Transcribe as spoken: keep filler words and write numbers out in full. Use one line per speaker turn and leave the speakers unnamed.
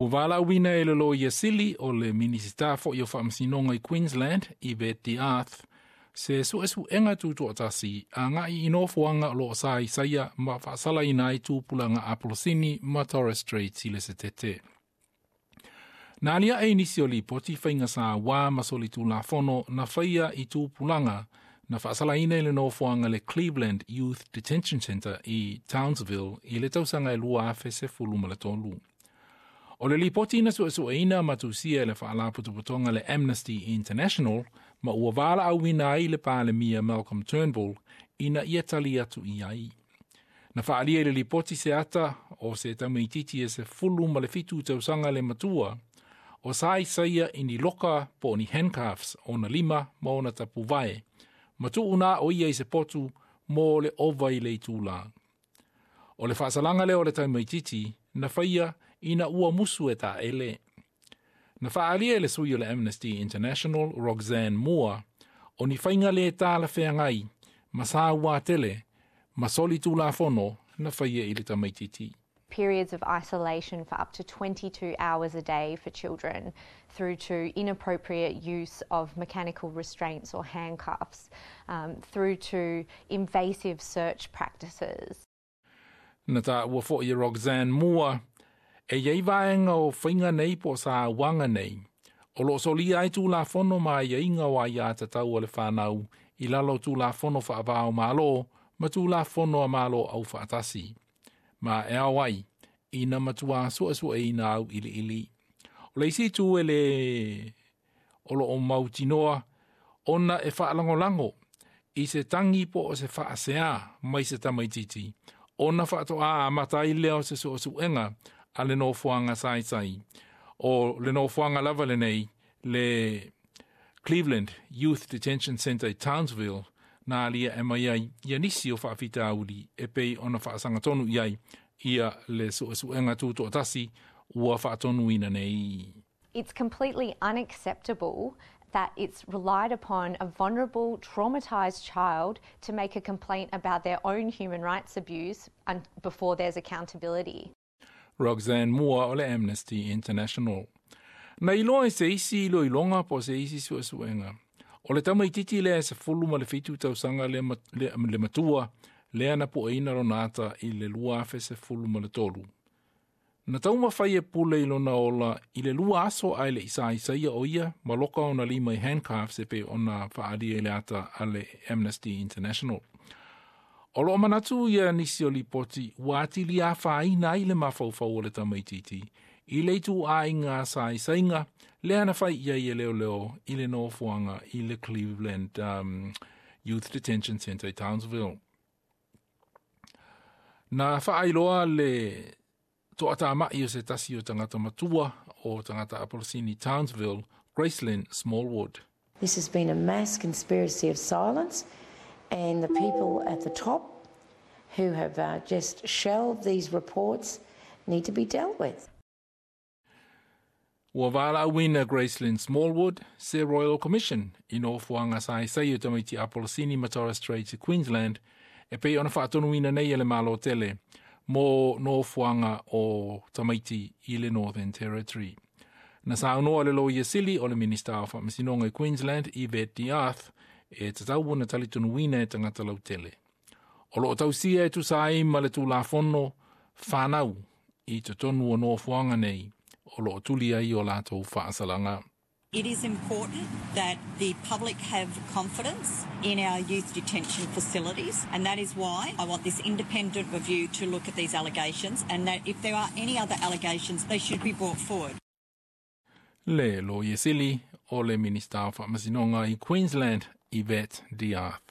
Ua valaauina e le Loia Sili o le Minisita fo'i o Faamasinoga i Queensland, Yvette D'Ath, se suesuega tutoatasi agai i nofoaga o loo saisaia ma faasalaina ai tupulaga Apolosini ma Torres Strait i le Setete. Na aliae i nisi o lipoti faiga sauā ma solitulafono na faia i tupulaga na faasalaina i le nofoaga le Cleveland Youth Detention Centre i Townsville i le tausaga e lua afe sefulu ma le tolu. O le lipoti na suesueina ma tusia e le faalapotopotoga le Amnesty International ma ua valaauina ai le Palemia Malcolm Turnbull ina ia tali atu i ai. Na faaalia i le lipoti se ata o se tamaititi e sefulu ma le fitu tausaga le matua o saisaia i ni loka po o ni handcuffs ona lima ma ona tapuvae ma tuuna o ia i se potu mo le ova i le itula. O le faasalaga lea o le tamaititi na faia ina ua musu e taele. Na faaalia e le sui o le Amnesty International Roxanne Moore o ni faiga le talafeagai ma sauā tele ma solitulafono na faia i le tamaititi.
Periods of isolation for up to twenty-two hours a day for children, through to inappropriate use of mechanical restraints or handcuffs, um, through to invasive search practices.
Na taua fo'i e Roxanne Moore e iai vaega o faiga nei po o sauaga nei o loo solia ai tulafono ma aiaiga o aiatatau a le fanau i lalo o tulafono faavao malo ma tulafono a malo au faatasi. Ma e ao ai ina matua suesueina au iliili. O le isi itu e le o loo mautinoa ona e faalagolago i se tagi po o se faasea mai se tamaititi ona faatoa amata ai lea o se suesuega a le nofoaga saisai. O le nofoaga lava lenei le Cleveland Youth Detention Centre i Townsville na alia e mai ai ia nisi o faafitauli e pei ona faasagatonu i ai ia le suesuega tutoatasi ua faatonuina nei.
It's completely unacceptable that it's relied upon a vulnerable, traumatised child to make a complaint about their own human rights abuse before there's accountability.
Roxanne Moore o le Amnesty International. Na iloa e se isi iloiloga po o se isi suesuega. O le tamaititi lea e sefulu ma le fitu tausaga le, le, le matua lea na pueina lona ata i le lua afe sefulu ma le tolu. Na taumafai e pule i lona ola i le lua aso ae le isaisaia o ia ma loka ona lima i handcuffs e pei ona faalia i le ata a le Amnesty International. O loo manatu ia nisi o lipoti ua atili afaina ai le mafaufau o le tamaititi i le ituaiga saisaiga lea na fai i ai e leoleo i le nofoaga i le Cleveland um, Youth Detention Centre i Townsville. Na faailoa le toatamai o se tasi o tagata matua o tagata Apolosini Townsville, Gracelyn Smallwood.
This has been a mass conspiracy of silence, and the people at the top who have uh, just shelved these reports need to be dealt with.
Ua valaauina Gracelyn Smallwood se Royal Commission i nofoaga saisai o tamaiti Apolosini ma Torres Strait i Queensland e pei ona faatonuina nei e le Malo tele mo nofoaga o tamaiti i le Northern Territory. Na saunoa le Loia Sili o le Minista o Faamasinoga i Queensland, Yvette D'Ath, e tatau ona talitonuina e tagata lautele. O loo tausia e tusa ai ma le tulafono fanau i totonu o nofoaga nei o loo tuli ai o latou faasalaga.
It is important that the public have confidence in our youth detention facilities, and that is why I want this independent review to look at these allegations, and that if there are any other allegations, they should be brought forward.
Le Loia Sili o le Minista o Faamasinoga i Queensland, Yvette D'Ath.